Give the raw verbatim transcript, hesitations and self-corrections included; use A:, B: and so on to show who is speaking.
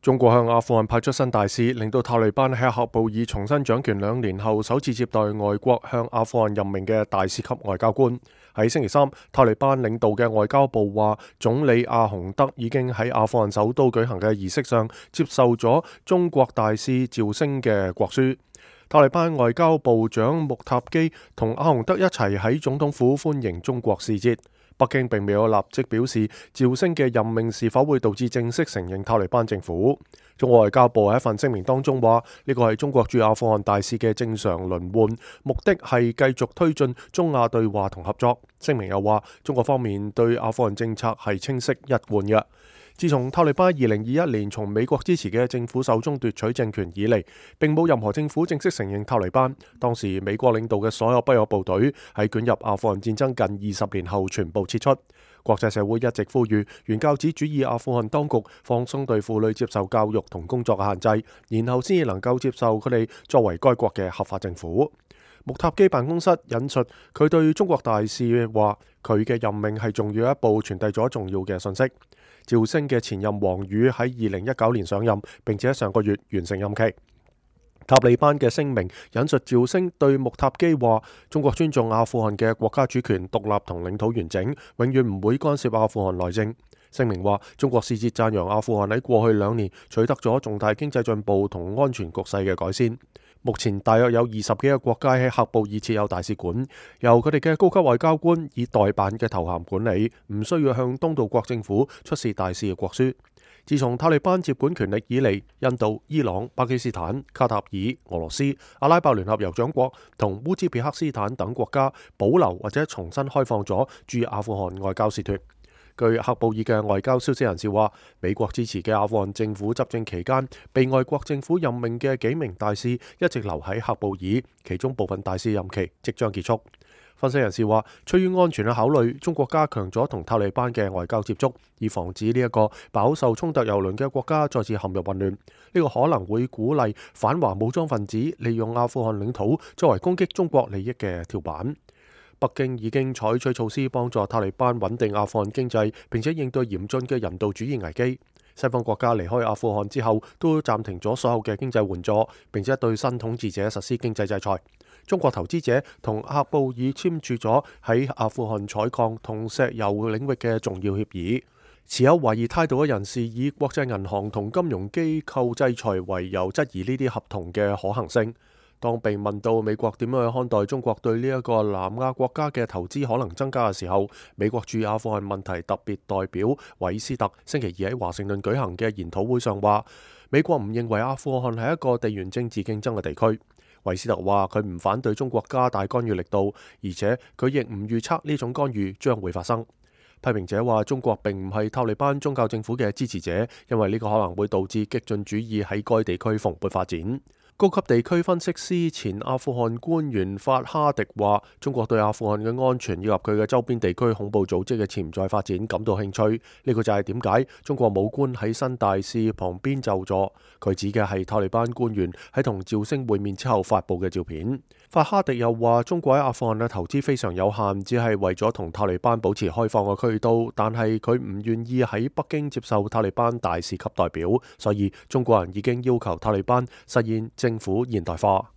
A: 中國向阿富汗派出新大使，令到塔利班喺喀布爾重新掌權兩年後首次接待外國向阿富汗任命嘅大使級外交官。喺星期三，塔利班領導嘅外交部話，總理阿洪德已經喺阿富汗首都舉行嘅儀式上接受咗中國大使趙星嘅國書。塔利班外交部長穆塔基同阿洪德一齊喺總統府歡迎中國使節。北京並未有立即表示趙星嘅任命是否會導致正式承認塔利班政府。中國外交部喺一份聲明當中話，呢個係中國駐阿富汗大使嘅正常輪換，目的係繼續推進中亞對話同合作。聲明又話，中國方面對阿富汗政策係清晰一貫嘅。自從塔利班二零二一年從美國支持嘅政府手中奪取政權以嚟，並冇任何政府正式承認塔利班。當時美國領導嘅所有北約部隊喺捲入阿富汗戰爭近二十年後全部撤出。國際社會一直呼籲原教旨主義阿富汗當局放鬆對婦女接受教育同工作嘅限制，然後先至能夠接受佢哋作為該國嘅合法政府。穆塔基辦公室引述佢對中國大使話，佢嘅任命係重要一步，傳遞咗重要嘅信息。趙星嘅前任王宇喺二零一九年上任，並且喺上個月完成任期。塔利班嘅聲明引述趙星對穆塔基話，中國尊重阿富汗嘅國家主權、獨立同領土完整，永遠唔會干涉阿富汗內政。聲明話，中國使節讚揚阿富汗喺過去兩年取得咗重大經濟進步同安全局勢嘅改善。目前大約有二十幾個國家喺喀布爾設有大使館，由佢哋嘅高級外交官以代辦嘅頭銜管理，唔需要向東道國政府出示大使嘅國書。自從塔利班接管權力以嚟，印度、伊朗、巴基斯坦、卡塔爾、俄羅斯、阿拉伯聯合酋長國同烏茲別克斯坦等國家保留或者重新開放咗駐阿富汗外交使團。據喀布爾嘅外交消息人士話，美國支持嘅阿富汗政府執政期間，被外國政府任命嘅幾名大使一直留喺喀布爾，其中部分大使任期即將結束。分析人士話，出於安全嘅考慮，中國加強咗同塔利班嘅外交接觸，以防止呢一個飽受衝突蹂躪嘅國家再次陷入混亂。呢個可能會鼓勵反華武裝分子利用阿富汗領土作為攻擊中國利益嘅跳板。北京已經採取措施幫助塔利班穩定阿富汗經濟，並且應對嚴峻嘅人道主義危機。西方國家離開阿富汗之後，都暫停咗所有嘅經濟援助，並且對新統治者實施經濟制裁。中國投資者同喀布爾簽署咗喺阿富汗採礦同石油領域嘅重要協議。持有懷疑態度嘅人士以國際銀行同金融機構制裁為由，質疑呢啲合同嘅可行性。當被問到美國點樣去看待中國對呢一個南亞國家嘅投資可能增加嘅時候，美國駐阿富汗問題特別代表韋斯特星期二喺華盛頓舉行嘅研討會上話，美國唔認為阿富汗係一個地緣政治競爭嘅地區。韋斯特話佢唔反對中國加大干預力度，而且佢亦唔預測呢種干預將會發生。批評者話中國並唔係塔利班宗教政府嘅支持者，因為呢個可能會導致激進主義喺該地區蓬勃發展。高級地區分析師前阿富汗官員法哈迪話，中國對阿富汗嘅安全以及佢嘅周邊地區恐怖組織嘅潛在發展感到興趣。呢個就係點解中國武官喺新大使旁邊就座。佢指嘅係塔利班官員喺同趙星會面之後發布嘅照片。法哈迪又話，中國喺阿富汗嘅投資非常有限，只係為咗同塔利班保持開放嘅渠道，但係佢唔願意喺北京接受塔利班大使級代表，所以中國人已經要求塔利班實現政府現代化。